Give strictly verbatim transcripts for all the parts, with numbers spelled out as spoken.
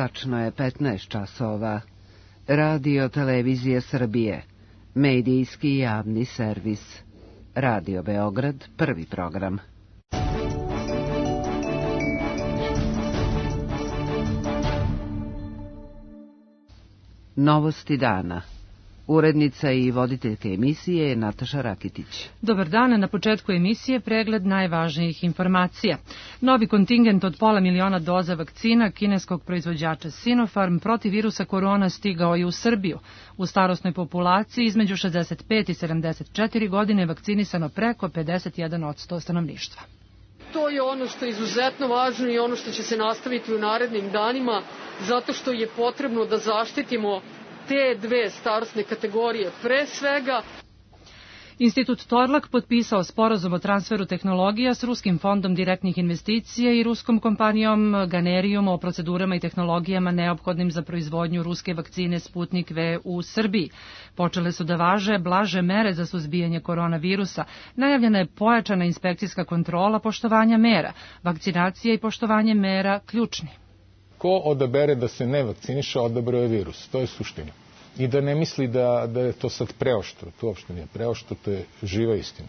Tačno je petnaest časova. Radio Televizije Srbije. Medijski javni servis. Radio Beograd, prvi program. Novosti dana. Urednica i voditeljka emisije je Nataša Rakitić. Dobar dan, na početku emisije pregled najvažnijih informacija. Novi kontingent od pola miliona doza vakcina kineskog proizvođača Sinopharm protiv virusa korona stigao je u Srbiju. U starosnoj populaciji između šezdeset pet i sedamdeset četiri godine vakcinisano preko pedeset jedan posto stanovništva. To je ono što je izuzetno važno i ono što će se nastaviti u narednim danima, zato što je potrebno da zaštitimo te dve starosne kategorije. Pre svega, Institut Torlak potpisao sporazum o transferu tehnologija s Ruskim fondom direktnih investicija i ruskom kompanijom Ganerium o procedurama i tehnologijama neophodnim za proizvodnju ruske vakcine Sputnik V u Srbiji. Počele su da važe blaže mere za suzbijanje koronavirusa. Najavljena je pojačana inspekcijska kontrola poštovanja mera. Vakcinacija i poštovanje mera ključni. Ko odabere da se ne vakciniše, odabrao je virus. To je suština. I da ne misli da, da je to sad preoštro. To uopšte nije preoštro, to je živa istina.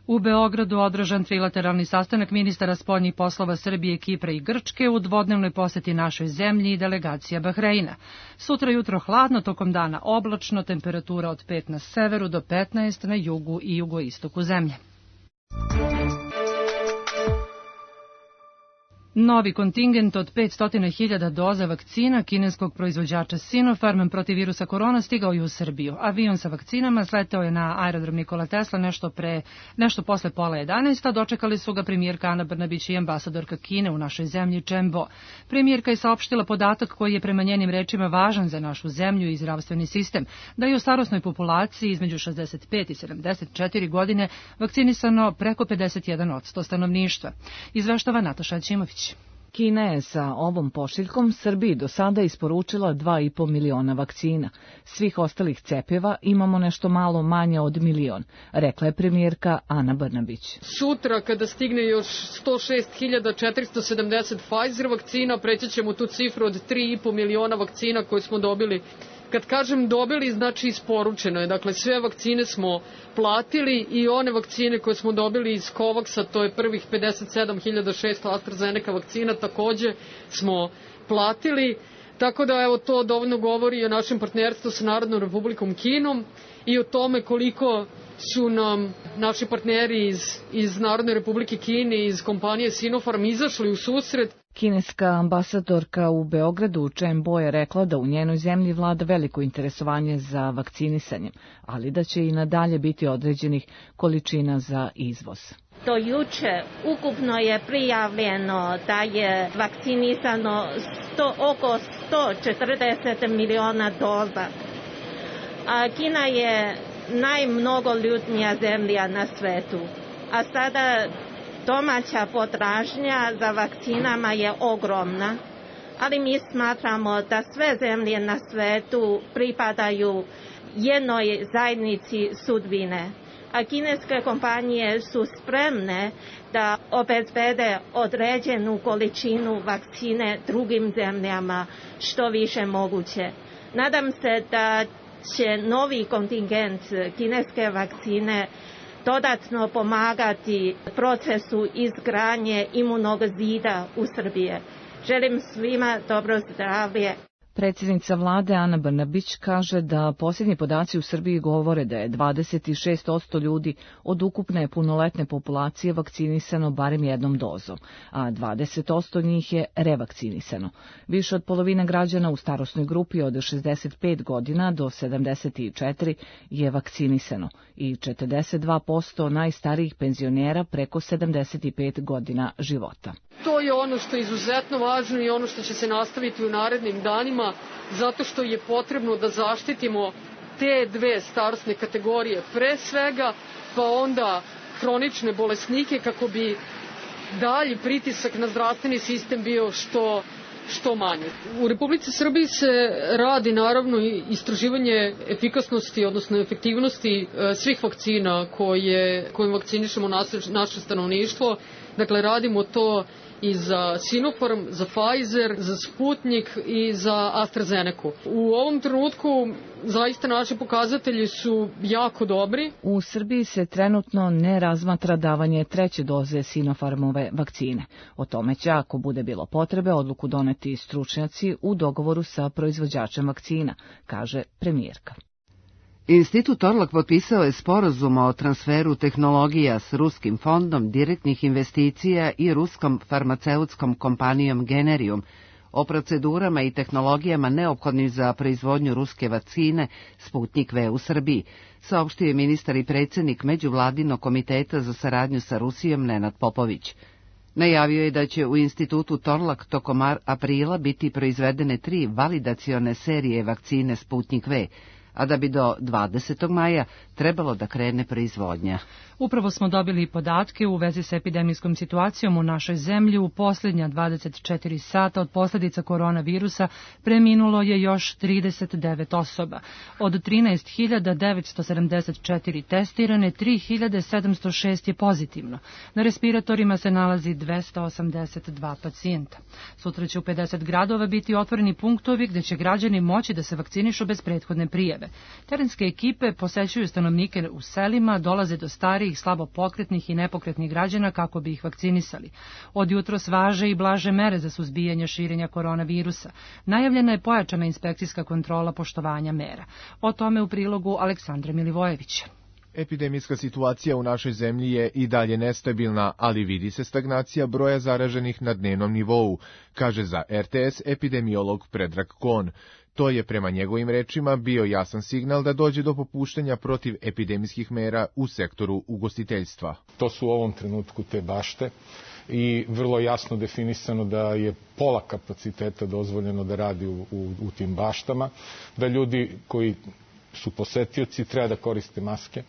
U Beogradu održan trilateralni sastanak ministara spoljnih poslova Srbije, Kipra i Grčke u dvodnevnoj poseti našoj zemlji i delegacija Bahreina. Sutra jutro hladno, tokom dana oblačno, temperatura od pet na severu do petnaest na jugu i jugoistoku zemlje. Novi kontingent od petsto hiljada doza vakcina kineskog proizvođača Sinopharm protiv virusa korona stigao je u Srbiju. Avion sa vakcinama sleteo je na aerodrom Nikola Tesla nešto pre nešto posle pola jedanaest, a dočekali su ga premijerka Ana Brnabić i ambasadorka Kine u našoj zemlji Chen Bo. Premijerka je saopštila podatak koji je prema njenim rečima važan za našu zemlju i zdravstveni sistem, da je u starosnoj populaciji između šezdeset pet i sedamdeset četiri godine vakcinisano preko pedeset jedan posto stanovništva. Izveštava Nataša Ćimović. Kina je sa ovom pošiljkom Srbiji do sada isporučila dva i po miliona vakcina. Svih ostalih cepiva imamo nešto malo manje od milion, rekla je premijerka Ana Brnabić. Sutra, kada stigne još sto šest hiljada četiristo sedamdeset Pfizer vakcina, preći ćemo tu cifru od tri i po miliona vakcina koje smo dobili. Kad kažem dobili, znači isporučeno je. Dakle, sve vakcine smo platili i one vakcine koje smo dobili iz Covaxa, to je prvih pedeset sedam hiljada šesto AstraZeneca vakcina, takođe smo platili. Tako da, evo, to dovoljno govori o našem partnerstvu sa Narodnom Republikom Kinom i o tome koliko su nam naši partneri iz, iz Narodne Republike Kine, iz kompanije Sinopharm izašli u susret. Kineska ambasadorka u Beogradu Chen Bo je rekla da u njenoj zemlji vlada veliko interesovanje za vakcinisanjem, ali da će i nadalje biti određenih količina za izvoz. Do juče ukupno je prijavljeno da je vakcinisano sto, oko sto četrdeset miliona doza. A Kina je najmnogoljudnija zemlja na svetu, a sada domaća potražnja za vakcinama je ogromna, ali mi smatramo da sve zemlje na svetu pripadaju jednoj zajednici sudbine, a kineske kompanije su spremne da obezbede određenu količinu vakcine drugim zemljama što više moguće. Nadam se da će novi kontingent kineske vakcine dodatno pomagati procesu izgradnje imunog zida u Srbiji. Želim svima dobro zdravlje. Predsjednica vlade Ana Brnabić kaže da posljednji podaci u Srbiji govore da je dvadeset šest posto ljudi od ukupne punoletne populacije vakcinisano barem jednom dozom, a dvadeset posto njih je revakcinisano. Više od polovine građana u starosnoj grupi od šezdeset pet godina do sedamdeset četiri je vakcinisano i četrdeset dva posto najstarijih penzionera preko sedamdeset pet godina života. To je ono što je izuzetno važno i ono što će se nastaviti u narednim danima, zato što je potrebno da zaštitimo te dve starosne kategorije pre svega, pa onda hronične bolesnike, kako bi dalji pritisak na zdravstveni sistem bio što što manje. U Republici Srbiji se radi naravno istraživanje efikasnosti, odnosno efektivnosti svih vakcina koje, kojim vakcinišemo naše, naše stanovništvo. Dakle, radimo to i za Sinopharm, za Pfizer, za Sputnik i za AstraZeneca. U ovom trenutku zaista naši pokazatelji su jako dobri. U Srbiji se trenutno ne razmatra davanje treće doze Sinopharmove vakcine. O tome će, ako bude bilo potrebe, odluku doneti stručnjaci u dogovoru sa proizvođačem vakcina, kaže premijerka. Institut Torlak potpisao je sporazum o transferu tehnologija s Ruskim fondom direktnih investicija i ruskom farmaceutskom kompanijom Generium o procedurama i tehnologijama neophodnim za proizvodnju ruske vakcine Sputnik V u Srbiji, saopštio je ministar i predsjednik Međuvladinog komiteta za saradnju sa Rusijom Nenad Popović. Najavio je da će u Institutu Torlak tokom aprila biti proizvedene tri validacione serije vakcine Sputnik V, a da bi do dvadesetog maja trebalo da krene proizvodnja. Upravo smo dobili podatke u vezi sa epidemijskom situacijom u našoj zemlji. U posljednja dvadeset četiri sata od posljedica koronavirusa preminulo je još trideset devet osoba. Od trinaest hiljada devetsto sedamdeset četiri testirane, tri hiljade sedamsto šest je pozitivno. Na respiratorima se nalazi dvesta osamdeset dva pacijenta. Sutra će u pedeset gradova biti otvoreni punktovi gdje će građani moći da se vakcinišu bez prethodne prijave. Terenske ekipe posećuju stanovnike u selima, dolaze do starijih, slabo pokretnih i nepokretnih građana kako bi ih vakcinisali. Od jutros važe i blaže mere za suzbijanje širenja koronavirusa. Najavljena je pojačana inspekcijska kontrola poštovanja mera. O tome u prilogu Aleksandra Milivojevića. Epidemijska situacija u našoj zemlji je i dalje nestabilna, ali vidi se stagnacija broja zaraženih na dnevnom nivou, kaže za er te es epidemiolog Predrag Kon. To je prema njegovim rečima bio jasan signal da dođe do popuštanja protiv epidemijskih mera u sektoru ugostiteljstva. To su u ovom trenutku te bašte i vrlo jasno definisano da je pola kapaciteta dozvoljeno da radi u, u, u tim baštama, da ljudi koji su posetioci treba da koriste maske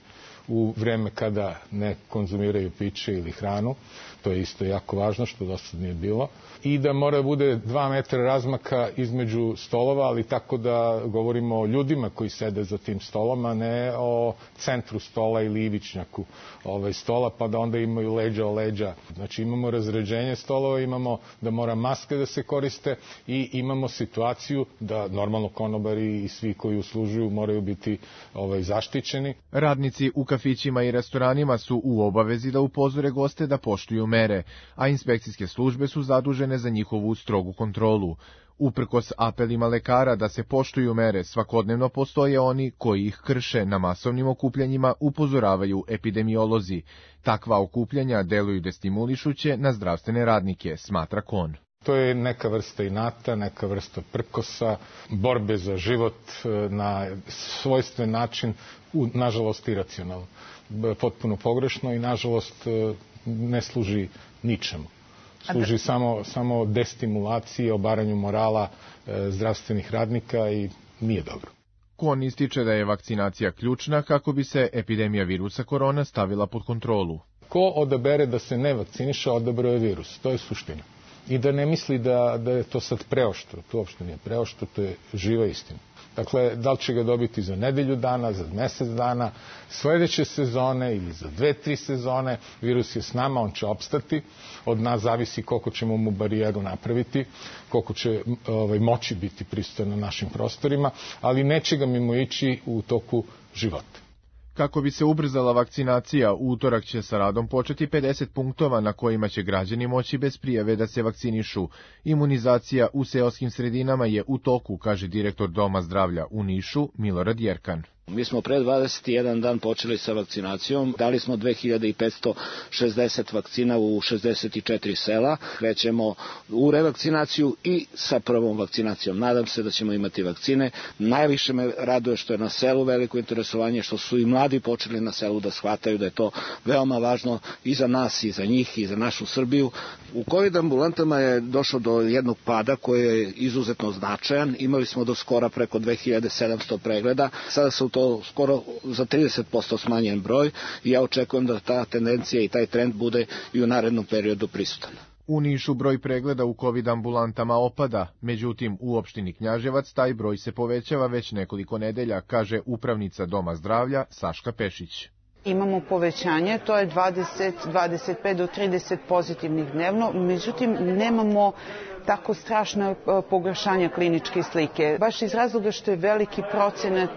u vreme kada ne konzumiraju piće ili hranu, to je isto jako važno što do sad nije bilo, i da mora da bude dva metra razmaka između stolova, ali tako da govorimo o ljudima koji sede za tim stolom, a ne o centru stola ili ivičnjaku ovaj, stola, pa da onda imaju leđa o leđa. Znači imamo razređenje stolova, imamo da mora maske da se koriste i imamo situaciju da normalno konobari i svi koji uslužuju moraju biti ovaj, zaštićeni. Radnici u kafićima i restoranima su u obavezi da upozore goste da poštuju mere, a inspekcijske službe su zadužene za njihovu strogu kontrolu. Uprkos apelima lekara da se poštuju mere, svakodnevno postoje oni koji ih krše. Na masovnim okupljanjima upozoravaju epidemiolozi. Takva okupljanja deluju destimulišuće na zdravstvene radnike, smatra Kon. To je neka vrsta inata, neka vrsta prkosa, borbe za život na svojstven način, nažalost iracionalno, potpuno pogrešno i nažalost ne služi ničemu. Služi samo, samo destimulaciji, obaranju morala e, zdravstvenih radnika i nije dobro. Kon ističe da je vakcinacija ključna kako bi se epidemija virusa korona stavila pod kontrolu. Ko odabere da se ne vakciniše, odabrao je virus. To je suština. I da ne misli da, da je to sad preoštro. To uopšte nije preoštro, to je živa istina. Dakle, da li će ga dobiti za nedelju dana, za mesec dana, sledeće sezone ili za dve, tri sezone, virus je s nama, on će opstati, od nas zavisi koliko ćemo mu barijeru napraviti, koliko će ovaj, moći biti prisutan na našim prostorima, ali neće ga mimo ići u toku života. Kako bi se ubrzala vakcinacija, u utorak će sa radom početi pedeset punktova na kojima će građani moći bez prijave da se vakcinišu. Imunizacija u seoskim sredinama je u toku, kaže direktor Doma zdravlja u Nišu, Milorad Jerkan. Mi smo pre dvadeset jedan dan počeli sa vakcinacijom, dali smo dve hiljade petsto šezdeset vakcina u šezdeset četiri sela, krećemo u revakcinaciju i sa prvom vakcinacijom. Nadam se da ćemo imati vakcine. Najviše me raduje što je na selu veliko interesovanje, što su i mladi počeli na selu da shvataju da je to veoma važno i za nas, i za njih, i za našu Srbiju. U COVID ambulantama je došlo do jednog pada koji je izuzetno značajan. Imali smo do skora preko dve hiljade sedamsto pregleda, sada su to skoro za trideset posto smanjen broj i ja očekujem da ta tendencija i taj trend bude i u narednom periodu prisutan. U Nišu broj pregleda u COVID ambulantama opada, međutim u opštini Knjaževac taj broj se povećava već nekoliko nedelja, kaže upravnica Doma zdravlja Saška Pešić. Imamo povećanje, to je dvadeset, dvadeset pet do trideset pozitivnih dnevno, međutim nemamo tako strašno pogoršanje kliničke slike. Baš iz razloga što je veliki procenat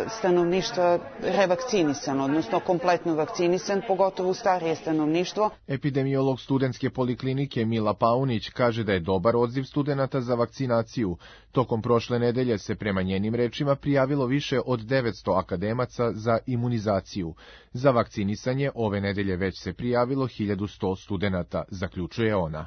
stanovništva revakcinisan, odnosno kompletno vakcinisan, pogotovo starije stanovništvo. Epidemiolog studentske poliklinike Mila Paunić kaže da je dobar odziv studenata za vakcinaciju. Tokom prošle nedelje se prema njenim rečima prijavilo više od devetsto akademaca za imunizaciju. Za vakcinisanje ove nedelje već se prijavilo hiljadu sto studenata, zaključuje ona.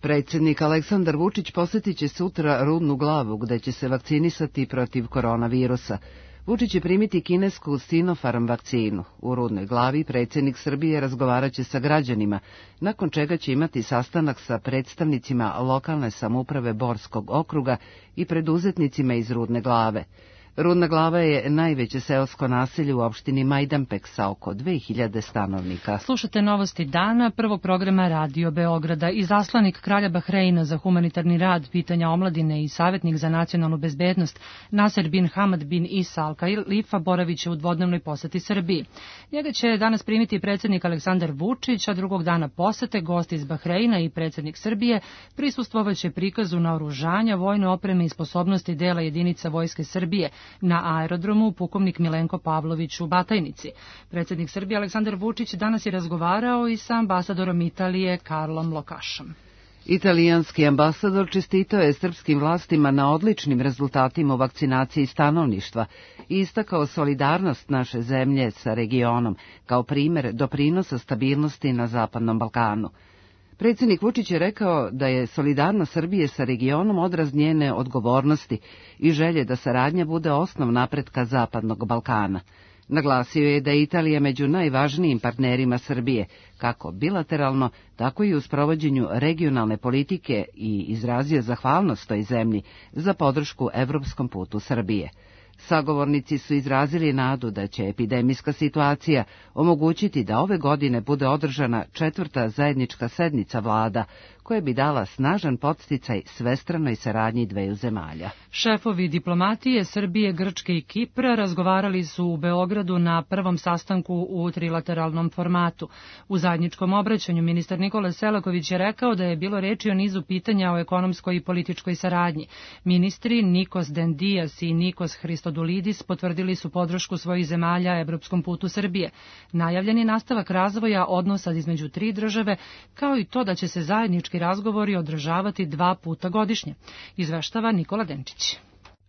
Predsjednik Aleksandar Vučić posjetit će sutra Rudnu Glavu, gde će se vakcinisati protiv koronavirusa. Vučić će primiti kinesku Sinopharm vakcinu. U Rudnoj Glavi predsjednik Srbije razgovarat će sa građanima, nakon čega će imati sastanak sa predstavnicima lokalne samouprave Borskog okruga i preduzetnicima iz Rudne Glave. Rudna Glava je najveće seosko naselje u opštini Majdanpek sa oko dve hiljade stanovnika. Slušate novosti dana prvog programa Radio Beograda. Izaslanik kralja Bahreina za humanitarni rad, pitanja omladine i savjetnik za nacionalnu bezbednost Nasser bin Hamad bin Isa Al Khalifa boravit će u dvodnevnoj poseti Srbiji. Njega će danas primiti predsjednik Aleksandar Vučić, a drugog dana posete gost iz Bahreina i predsjednik Srbije prisustvovaće prikazu naoružanja, vojne opreme i sposobnosti dela jedinica Vojske Srbije na aerodromu pukovnik Milenko Pavlović u Batajnici. Predsjednik Srbije Aleksandar Vučić danas je razgovarao i sa ambasadorom Italije Karlom Lokašom. Italijanski ambasador čestitao je srpskim vlastima na odličnim rezultatima u vakcinaciji stanovništva i istakao solidarnost naše zemlje sa regionom kao primjer doprinosa stabilnosti na Zapadnom Balkanu. Predsjednik Vučić je rekao da je solidarnost Srbije sa regionom odraz njene odgovornosti i želje da saradnja bude osnov napretka Zapadnog Balkana. Naglasio je da je Italija među najvažnijim partnerima Srbije, kako bilateralno, tako i u sprovođenju regionalne politike i izrazio zahvalnost toj zemlji za podršku evropskom putu Srbije. Sagovornici su izrazili nadu da će epidemijska situacija omogućiti da ove godine bude održana četvrta zajednička sednica vlada, koja bi dala snažan podsticaj svestranoj saradnji dveju zemalja. Šefovi diplomatije Srbije, Grčke i Kipra razgovarali su u Beogradu na prvom sastanku u trilateralnom formatu. U zajedničkom obraćanju ministar Nikola Selaković je rekao da je bilo reči o nizu pitanja o ekonomskoj i političkoj saradnji. Ministri Nikos Dendias i Nikos Christodulidis potvrdili su podršku svojih zemalja evropskom putu Srbije. Najavljen je nastavak razvoja odnosa između tri države, kao i to da će se zajednički razgovori održavati dva puta godišnje, izveštava Nikola Denčić.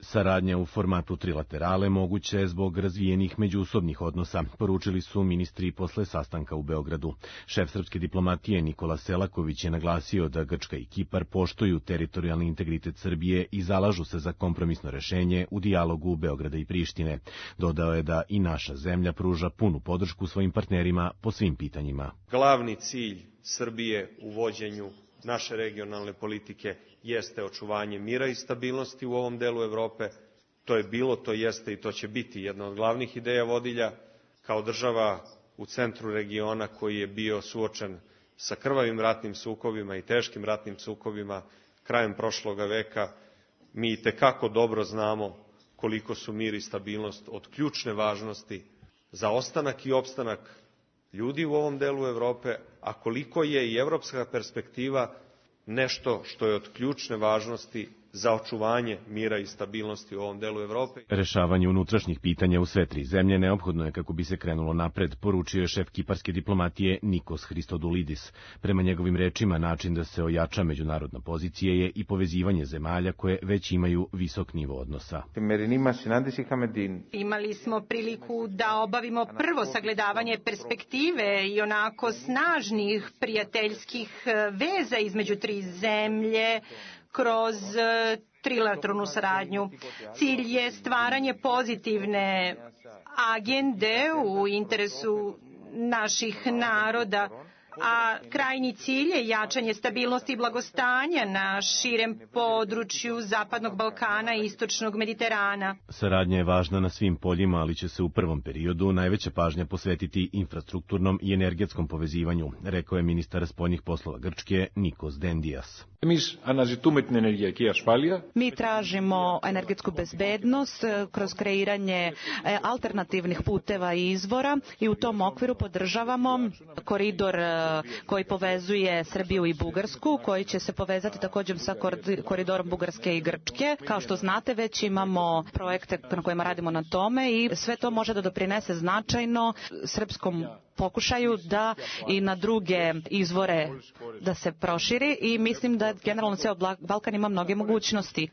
Saradnja u formatu trilaterale moguća je zbog razvijenih međusobnih odnosa, poručili su ministri posle sastanka u Beogradu. Šef srpske diplomatije Nikola Selaković je naglasio da Grčka i Kipar poštuju teritorijalni integritet Srbije i zalažu se za kompromisno rešenje u dijalogu Beograda i Prištine. Dodao je da i naša zemlja pruža punu podršku svojim partnerima po svim pitanjima. Glavni cilj Srbije u vođenju naše regionalne politike jeste očuvanje mira i stabilnosti u ovom delu Evrope. To je bilo, to jeste i to će biti jedna od glavnih ideja vodilja. Kao država u centru regiona koji je bio suočen sa krvavim ratnim sukobima i teškim ratnim sukobima krajem prošloga veka, mi itekako dobro znamo koliko su mir i stabilnost od ključne važnosti za ostanak i opstanak ljudi u ovom delu Evrope, a koliko je i evropska perspektiva nešto što je od ključne važnosti za očuvanje mira i stabilnosti u ovom delu Evrope. Rešavanje unutrašnjih pitanja u sve tri zemlje neophodno je kako bi se krenulo napred, poručio je šef kiparske diplomatije Nikos Christodulidis. Prema njegovim rečima, način da se ojača međunarodna pozicija je i povezivanje zemalja koje već imaju visok nivo odnosa. Imali smo priliku da obavimo prvo sagledavanje perspektive i onako snažnih prijateljskih veza između tri zemlje kroz trilateralnu saradnju. Cilj je stvaranje pozitivne agende u interesu naših naroda a krajnji cilj je jačanje stabilnosti i blagostanja na širem području Zapadnog Balkana i Istočnog Mediterana. Saradnja je važna na svim poljima, ali će se u prvom periodu najveća pažnja posvetiti infrastrukturnom i energetskom povezivanju, rekao je ministar spoljnih poslova Grčke Nikos Dendias. Mi tražimo energetsku bezbednost kroz kreiranje alternativnih puteva i izvora i u tom okviru podržavamo koridor koji povezuje Srbiju i Bugarsku, koji će se povezati također sa koridorom Bugarske i Grčke. Kao što znate, već imamo projekte na kojima radimo na tome i sve to može da doprinese značajno srpskom pokušaju da i na druge izvore da se proširi i mislim da generalno ceo Balkan ima mnoge mogućnosti.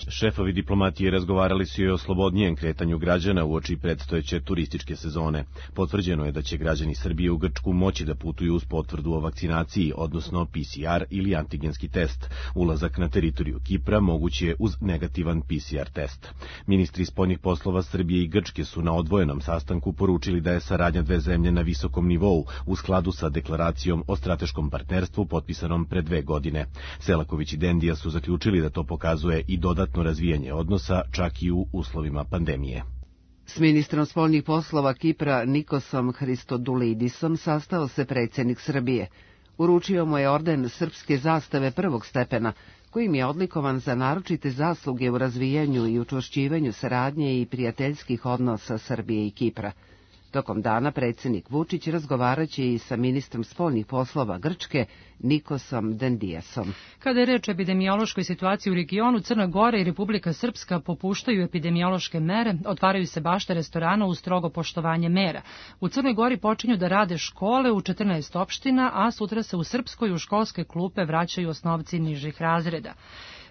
Šefovi diplomatije razgovarali su i o slobodnijem kretanju građana uoči predstojeće turističke sezone. Potvrđeno je da će građani Srbije u Grčku moći da putuju uz potvrdu o vakcinaciji, odnosno P C R ili antigenski test. Ulazak na teritoriju Kipra moguć je uz negativan P C R test. Ministri spoljnih poslova Srbije i Grčke su na odvojenom sastanku poručili da je saradnja dve zemlje na visokom nivou u skladu sa deklaracijom o strateškom partnerstvu potpisanom pre dve godine. Selaković i Dendija su zaključili da to pokazuje i dodatno razvijanje odnosa čak i u uslovima pandemije. S ministrom spoljnih poslova Kipra Nikosom Hristodulidisom sastao se predsjednik Srbije. Uručio mu je orden srpske zastave prvog stepena, kojim je odlikovan za naročite zasluge u razvijanju i učvršćivanju saradnje i prijateljskih odnosa Srbije i Kipra. Tokom dana predsjednik Vučić razgovaraće i sa ministrom spoljnih poslova Grčke Nikosom Dendijasom. Kada je reč o epidemiološkoj situaciji u regionu, Crna Gora i Republika Srpska popuštaju epidemiološke mere, otvaraju se bašte restorana uz strogo poštovanje mera. U Crnoj Gori počinju da rade škole u četrnaest opština, a sutra se u Srpskoj u školske klupe vraćaju osnovci nižih razreda.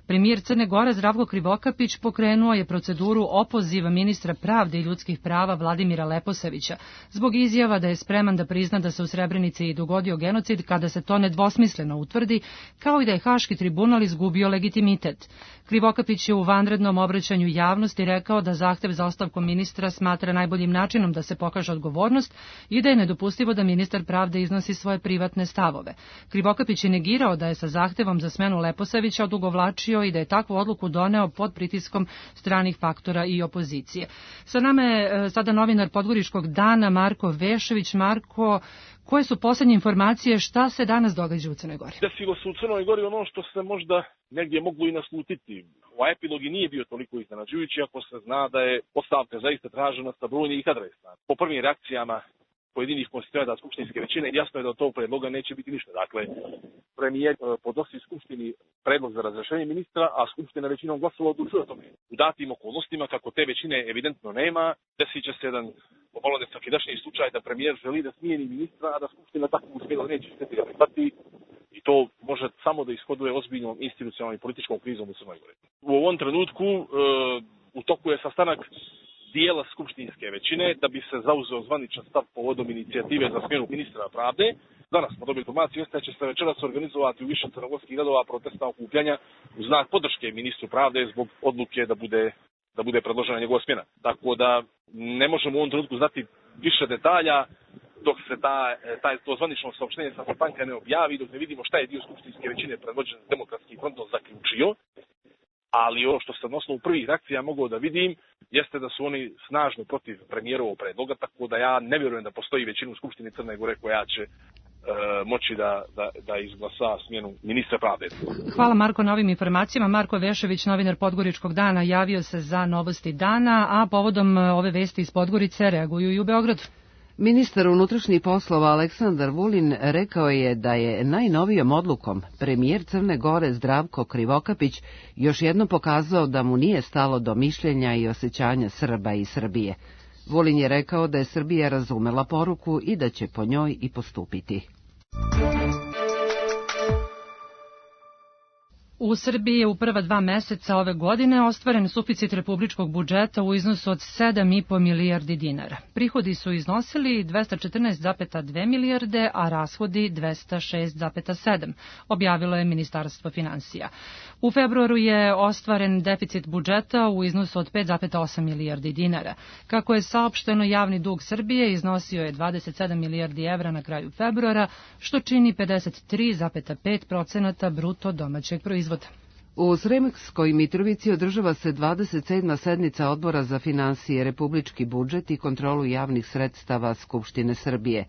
Premijer Crne Gore Zdravko Krivokapić pokrenuo je proceduru opoziva ministra pravde i ljudskih prava Vladimira Leposavića zbog izjava da je spreman da prizna da se u Srebrenici dogodio genocid kada se to nedvosmisleno utvrdi, kao i da je Haški tribunal izgubio legitimitet. Krivokapić je u vanrednom obraćanju javnosti rekao da zahtev za ostavkom ministra smatra najboljim načinom da se pokaže odgovornost i da je nedopustivo da ministar pravde iznosi svoje privatne stavove. Krivokapić je negirao da je sa zahtevom za smenu Leposavića odugovlačio i da je takvu odluku doneo pod pritiskom stranih faktora i opozicije. Sa nama je sada novinar Podgoričkog dana Marko Vešević. Marko, koje su posljednje informacije, šta se danas događa u Crnoj Gori? Desilo se u Crnoj Gori ono što se možda negdje moglo i naslutiti. Ovaj epilog i nije bio toliko iznenađujući ako se zna da je ostavka zaista tražena sa brojnih adresa. Po prvim reakcijama pojedinih konstituenata skupštinske većine jasno je da od tog predloga neće biti ništa. Dakle, premijer podnosi skupštini predlog za razrešenje ministra, a skupština većinom glasova odlučuje o tome. U datim okolnostima, kako te većine evidentno nema, desit će se jedan pomalo nesvakidašnji slučaj da premijer želi da smijeni ministra, a da skupština tako uspjela neće šteti da prihvati, i to može samo da ishoduje ozbiljnom institucionalnom i političkom krizom u Crnoj Gori. U ovom trenutku e, u toku je sastanak dijela skupštinske većine da bi se zauzeo zvaničan stav povodom inicijative za smjenu ministra pravde. Danas smo dobili informaciju da će se večeras organizovati u više crnogorskih gradova protestna okupljanja u znak podrške ministru pravde zbog odluke da bude da bude predložena njegova smjena. Tako da ne možemo u ovom trenutku znati više detalja dok se ta, taj, to zvanično saopštenje sa sastanka ne objavi, dok ne vidimo šta je dio skupštinske većine predvođen Demokratskim frontom zaključio. Ali ovo što sam na osnovu prvih reakcija mogao da vidim jeste da su oni snažno protiv premijerovog predloga, tako da ja ne vjerujem da postoji većina u Skupštini Crne Gore koja će e, moći da, da, da izglasa smjenu ministra pravde. Hvala Marko na ovim informacijama. Marko Vešević, novinar Podgoričkog dana, javio se za novosti dana, a povodom ove vesti iz Podgorice reaguju i u Beogradu. Ministar unutrašnjih poslova Aleksandar Vulin rekao je da je najnovijom odlukom premijer Crne Gore Zdravko Krivokapić još jednom pokazao da mu nije stalo do mišljenja i osjećanja Srba i Srbije. Vulin je rekao da je Srbija razumela poruku i da će po njoj i postupiti. U Srbiji je u prva dva meseca ove godine ostvaren suficit republičkog budžeta u iznosu od sedam i po milijardi dinara. Prihodi su iznosili dvesta četrnaest zarez dve milijarde, a rashodi dvesta šest zarez sedam, objavilo je Ministarstvo finansija. U februaru je ostvaren deficit budžeta u iznosu od pet zarez osam milijardi dinara. Kako je saopšteno, javni dug Srbije iznosio je dvadeset sedam milijardi evra na kraju februara, što čini pedeset tri zarez pet procenata bruto domaćeg proizvoda. U Sremskoj Mitrovici održava se dvadeset sedma sednica Odbora za finansije, republički budžet i kontrolu javnih sredstava Skupštine Srbije.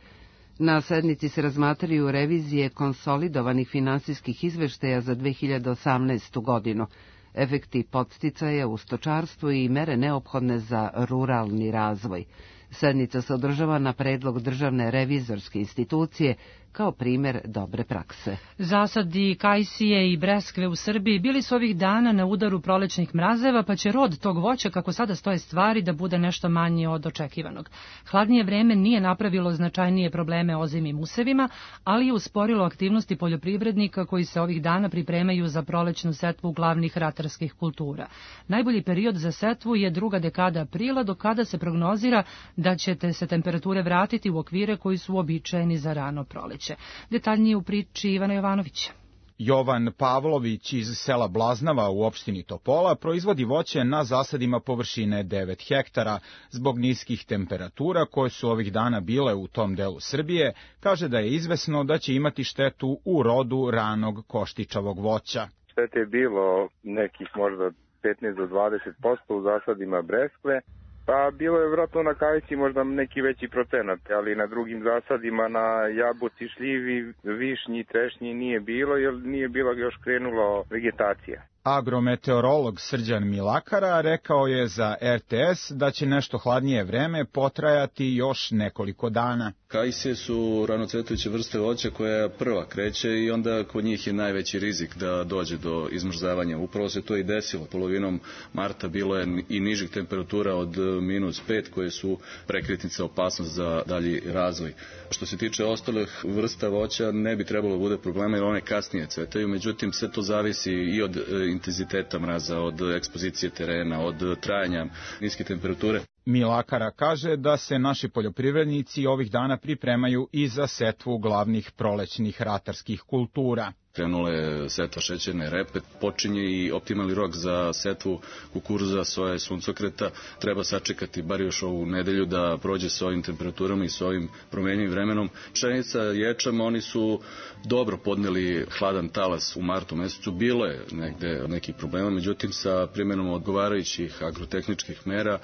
Na sednici se razmatraju revizije konsolidovanih finansijskih izveštaja za dve hiljade osamnaestu. godinu, efekti podsticaja u stočarstvu i mere neophodne za ruralni razvoj. Sednica se održava na predlog Državne revizorske institucije kao primer dobre prakse. Zasadi kajsije i breskve u Srbiji bili su ovih dana na udaru prolećnih mrazeva, pa će rod tog voća, kako sada stoje stvari, da bude nešto manji od očekivanog. Hladnije vreme nije napravilo značajnije probleme ozimim usevima, ali je usporilo aktivnosti poljoprivrednika koji se ovih dana pripremaju za prolećnu setvu glavnih ratarskih kultura. Najbolji period za setvu je druga dekada aprila, do kada se prognozira da će se temperature vratiti u okvire koji su uobičajeni za rano proleće. Detaljnije u priči Ivana Jovanovića. Jovan Pavlović iz sela Blaznava u opštini Topola proizvodi voće na zasadima površine devet hektara. Zbog niskih temperatura koje su ovih dana bile u tom delu Srbije, kaže da je izvesno da će imati štetu u rodu ranog koštičavog voća. Štete je bilo nekih možda petnaest do dvadeset posto u zasadima breskve. Pa bilo je vjerojatno na kavici možda neki veći procenat, ali na drugim zasadima, na jabuci, šljivi, višnji, trešnji nije bilo, jer nije bila još krenulo vegetacija. Agrometeorolog Srđan Milakara rekao je za er te es da će nešto hladnije vreme potrajati još nekoliko dana. Kajsije su ranocvetujuće vrste voća koja prva kreće i onda kod njih je najveći rizik da dođe do izmrzavanja. Upravo se to i desilo. Polovinom marta bilo je i nižih temperatura od minus pet koje su prekretnica opasnost za dalji razvoj. Što se tiče ostalih vrsta voća ne bi trebalo da bude problema jer one kasnije cvetaju, međutim sve to zavisi i od intenziteta mraza, od ekspozicije terena, od trajanja niske temperature. Milakara kaže da se naši poljoprivrednici ovih dana pripremaju i za setvu glavnih prolećnih ratarskih kultura. Krenula je setva šećerne repe, počinje i optimalni rok za setvu kukuruza, soje, suncokreta. Treba sačekati bar još ovu nedelju da prođe s ovim temperaturama i s ovim promenjivim vremenom. Pšenica, ječam, oni su dobro podneli hladan talas u martu mesecu. Bilo je negde nekih problema, međutim sa primjenom odgovarajućih agrotehničkih mera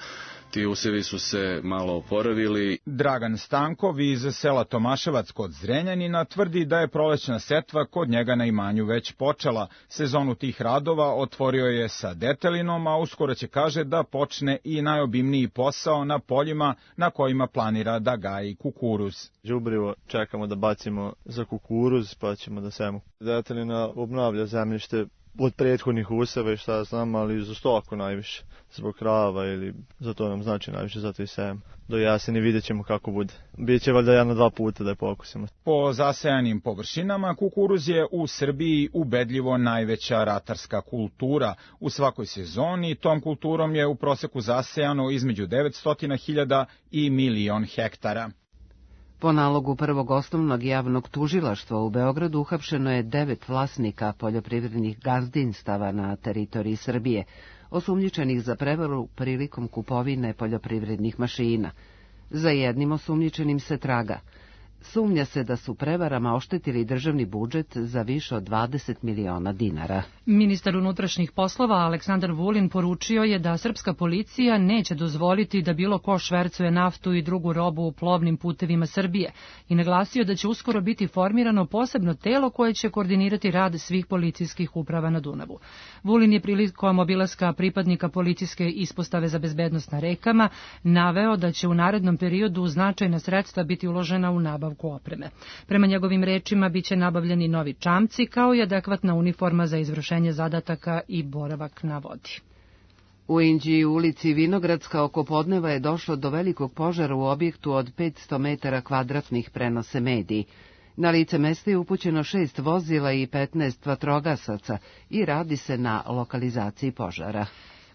ti usevi su se malo oporavili. Dragan Stankov iz sela Tomaševac kod Zrenjanina tvrdi da je prolećna setva kod njega na imanju već počela. Sezonu tih radova otvorio je sa detelinom, a uskoro će, kaže, da počne i najobimniji posao na poljima na kojima planira da gaji kukuruz. Đubrivo čekamo da bacimo za kukuruz, pa ćemo da sejemo. Detelina obnavlja zemljište od prethodnih useva i šta znam, ali za stoku najviše, zbog krava ili za to nam znači najviše, zato i sejem. Do jeseni vidjet ćemo kako bude. Biće valjda jedno dva puta da je pokusimo. Po zasejanim površinama kukuruz je u Srbiji ubedljivo najveća ratarska kultura. U svakoj sezoni tom kulturom je u proseku zasejano između devetsto hiljada i milion hektara. Po nalogu prvog osnovnog javnog tužilaštva u Beogradu uhapšeno je devet vlasnika poljoprivrednih gazdinstava na teritoriji Srbije, osumnjičenih za prevaru prilikom kupovine poljoprivrednih mašina. Za jednim osumnjičenim se traga. Sumnja se da su prevarama oštetili državni budžet za više od dvadeset miliona dinara. Ministar unutrašnjih poslova Aleksandar Vulin poručio je da srpska policija neće dozvoliti da bilo ko švercuje naftu i drugu robu u plovnim putevima Srbije i naglasio da će uskoro biti formirano posebno telo koje će koordinirati rad svih policijskih uprava na Dunavu. Vulin je prilikom obilaska pripadnika policijske ispostave za bezbednost na rekama naveo da će u narednom periodu značajna sredstva biti uložena u nabavu opreme. Prema njegovim rečima biće nabavljeni novi čamci kao i adekvatna uniforma za izvršenje zadataka i boravak na vodi. U Inđiji u ulici Vinogradska oko podneva je došlo do velikog požara u objektu od petsto metara kvadratnih, prenose mediji. Na lice mesta je upućeno šest vozila i petnaest vatrogasaca i radi se na lokalizaciji požara.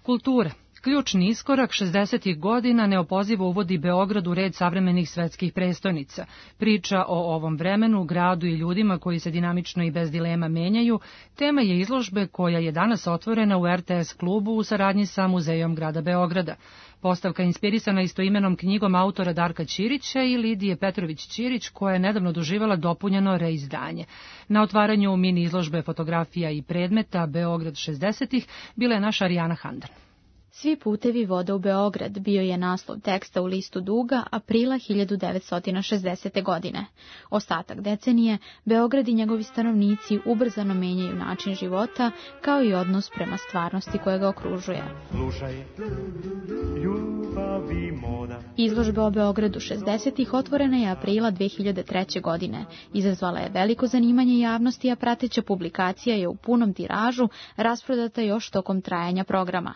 Kultura. Ključni iskorak šezdesetih godina neopozivo uvodi Beograd u red savremenih svetskih prestolnica. Priča o ovom vremenu, gradu i ljudima koji se dinamično i bez dilema menjaju, tema je izložbe koja je danas otvorena u er te es klubu u saradnji sa Muzejom grada Beograda. Postavka je inspirisana istoimenom knjigom autora Darka Ćirića i Lidije Petrović-Ćirić, koja je nedavno doživala dopunjeno reizdanje. Na otvaranju mini izložbe fotografija i predmeta Beograd šezdesetih bila je naša Arijana Handan. Svi putevi vode u Beograd bio je naslov teksta u listu Duga aprila hiljadu devetsto šezdesete. godine. Ostatak decenije Beograd i njegovi stanovnici ubrzano menjaju način života kao i odnos prema stvarnosti koja ga okružuje. Slušaj, ljubavi moda. Izložba o Beogradu šezdesetih otvorena je aprila dve hiljade treće. godine. Izazvala je veliko zanimanje javnosti, a prateća publikacija je u punom tiražu rasprodata još tokom trajanja programa.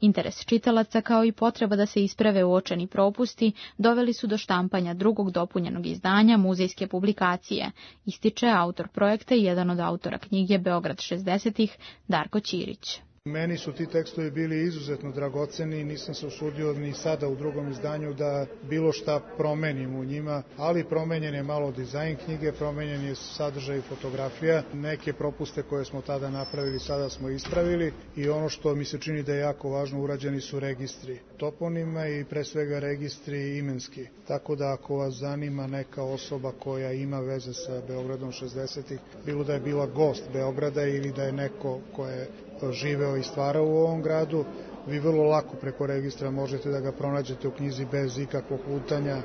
Interes čitalaca kao i potreba da se isprave uočeni propusti doveli su do štampanja drugog dopunjenog izdanja muzejske publikacije, ističe autor projekta i jedan od autora knjige Beograd šezdesetih, Darko Ćirić. Meni su ti tekstovi bili izuzetno dragoceni i nisam se usudio ni sada u drugom izdanju da bilo šta promenim u njima, ali promenjen je malo dizajn knjige, promenjen je sadržaj fotografija, neke propuste koje smo tada napravili sada smo ispravili i ono što mi se čini da je jako važno, urađeni su registri toponima i pre svega registri imenski. Tako da ako vas zanima neka osoba koja ima veze sa Beogradom šezdesetih, bilo da je bila gost Beograda ili da je neko ko je živeo i stvarao u ovom gradu, vi vrlo lako preko registra možete da ga pronađete u knjizi bez ikakvog lutanja.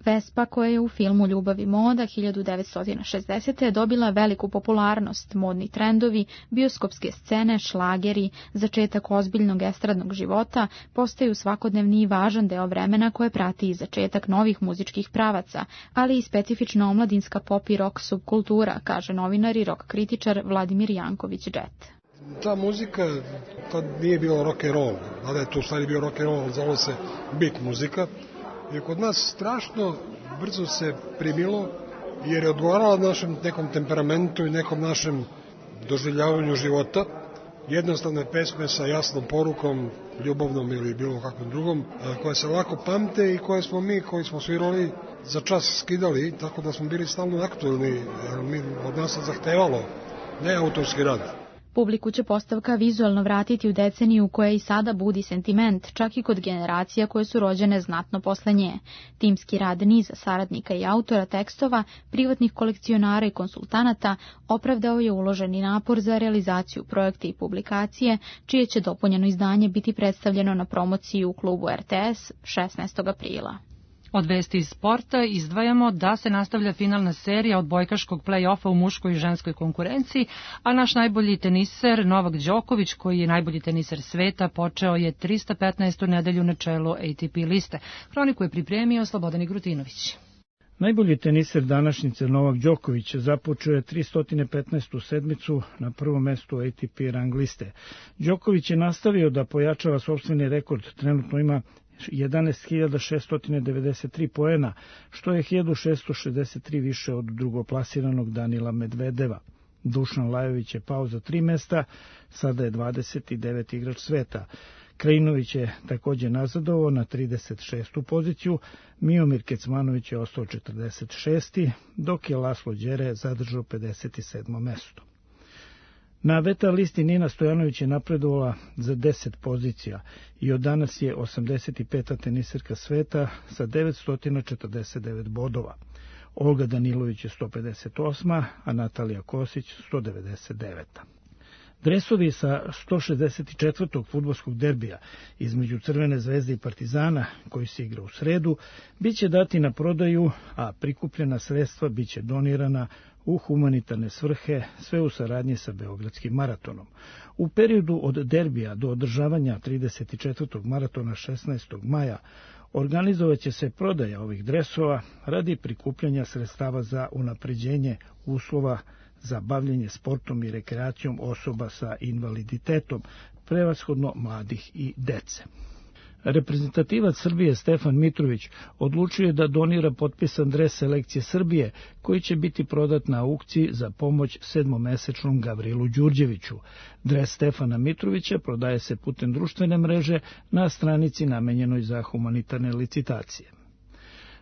Vespa, koja je u filmu Ljubav i moda hiljadu devetsto šezdesete. dobila veliku popularnost, modni trendovi, bioskopske scene, šlageri, začetak ozbiljnog estradnog života postaju svakodnevni i važan deo vremena koje prati i začetak novih muzičkih pravaca, ali i specifična omladinska pop i rock subkultura, kaže novinar i rock kritičar Vladimir Janković-Džet. Ta muzika, tad nije bilo rock and roll, ali je to u stvari bio rock and roll, zvalo se beat muzika. I kod nas strašno brzo se primilo, jer je odgovarala našem nekom temperamentu i nekom našem doživljavanju života. Jednostavne pesme sa jasnom porukom, ljubavnom ili bilo kakvom drugom, koje se lako pamte i koje smo mi, koji smo svirali, za čas skidali, tako da smo bili stalno aktualni, jer mi od nas se zahtevalo, ne autorski rad. Publiku će postavka vizualno vratiti u deceniju koja i sada budi sentiment, čak i kod generacija koje su rođene znatno posle nje. Timski rad niza saradnika i autora tekstova, privatnih kolekcionara i konsultanata opravdao je uloženi napor za realizaciju projekta i publikacije, čije će dopunjeno izdanje biti predstavljeno na promociji u klubu er te es šesnaestog aprila. Od vesti iz sporta izdvajamo da se nastavlja finalna serija odbojkaškog play-offa u muškoj i ženskoj konkurenciji, a naš najbolji teniser Novak Đoković, koji je najbolji teniser sveta, počeo je trista petnaestu nedelju na čelu A T P liste. Hroniku je pripremio Slobodan Grutinović. Najbolji teniser današnjice Novak Đoković započeo je trista petnaestu sedmicu na prvom mestu A T P rang liste. Đoković je nastavio da pojačava sopstveni rekord, trenutno ima jedanaest hiljada šesto devedeset tri poena, što je hiljadu šesto šezdeset tri više od drugoplasiranog Danila Medvedeva. Dušan Lajović je pao za tri mesta, sada je dvadeset deveti igrač sveta. Krajinović je također nazadovao na trideset šestu poziciju, Miomir Kecmanović je ostao četrdeset šesti, dok je Laslo Đere zadržao pedeset sedmo mesto. Na veta listi Nina Stojanović je napredovala za deset pozicija i od danas je osamdeset peta teniserka sveta sa devetsto četrdeset devet bodova. Olga Danilović je sto pedeset osma, a Natalija Kosić sto devedeset deveta. Dresovi sa sto šezdeset četvrtog fudbalskog derbija između Crvene zvezde i Partizana, koji se igra u sredu, biće dati na prodaju, a prikupljena sredstva biće donirana u humanitarne svrhe, sve u saradnji sa Beogradskim maratonom. U periodu od derbija do održavanja trideset četvrtog maratona šesnaestog maja organizovaće se prodaja ovih dresova radi prikupljanja sredstava za unapređenje uslova za bavljenje sportom i rekreacijom osoba sa invaliditetom, prevashodno mladih i dece. Reprezentativac Srbije Stefan Mitrović odlučio je da donira potpisan dres selekcije Srbije, koji će biti prodat na aukciji za pomoć sedmomesečnom Gavrilu Đurđeviću. Dres Stefana Mitrovića prodaje se putem društvene mreže na stranici namenjenoj za humanitarne licitacije.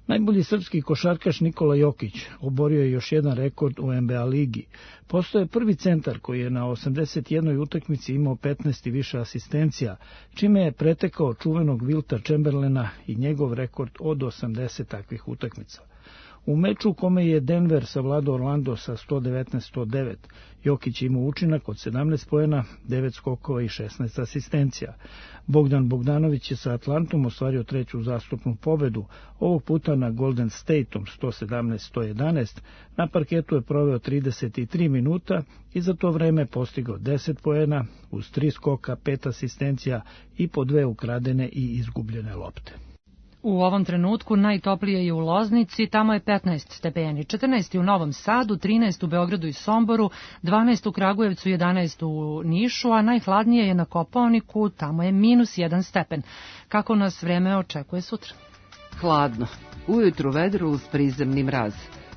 Najbolji srpski košarkaš Nikola Jokić oborio je još jedan rekord u N B A ligi. Postao je prvi centar koji je na osamdeset jednoj utakmici imao petnaest i više asistencija, čime je pretekao čuvenog Wilta Chamberlaina i njegov rekord od osamdeset takvih utakmica. U meču u kome je Denver savladao Orlando sa sto devetnaest sto devet, Jokić imao učinak od sedamnaest poena, devet skokova i šesnaest asistencija. Bogdan Bogdanović je sa Atlantom ostvario treću zastupnu pobedu, ovog puta na Golden Stateom sto sedamnaest sto jedanaest, na parketu je proveo trideset tri minuta i za to vreme postigao deset poena, uz tri skoka, pet asistencija i po dve ukradene i izgubljene lopte. U ovom trenutku najtoplije je u Loznici, tamo je petnaest stepeni, četrnaest u Novom Sadu, trinaest u Beogradu i Somboru, dvanaest u Kragujevcu, jedanaest u Nišu, a najhladnije je na Kopaoniku, tamo je minus jedan stepen. Kako nas vreme očekuje sutra? Hladno. Ujutru vedro uz prizemni mraz.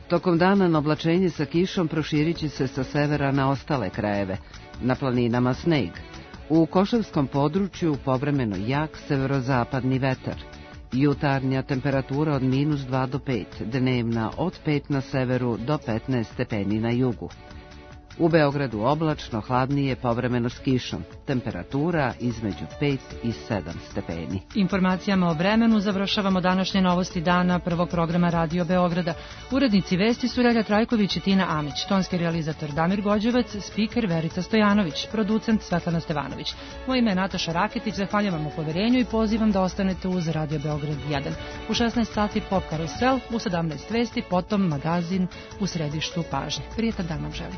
Tokom dana na oblačenje sa kišom proširit će se sa severa na ostale krajeve. Na planinama sneg. U Košavskom području povremeno jak severozapadni vetar. Jutarnja temperatura od minus dva do pet, dnevna od pet na severu do petnaest stepeni na jugu. U Beogradu oblačno, hladnije, povremeno s kišom. Temperatura između pet i sedam stepeni. Informacijama o vremenu završavamo današnje novosti dana prvog programa Radio Beograda. Urednici vesti su Relja Trajković i Tina Amić, tonski realizator Damir Gođevac, spiker Verica Stojanović, producent Svetlana Stevanović. Moje ime je Nataša Raketić, zahvaljujem vam u poverenju i pozivam da ostanete uz Radio Beograd jedan. U šesnaest sati Pop Karusel, u sedamnaest vesti, potom magazin u središtu pažnje. Prijetan dan vam želim.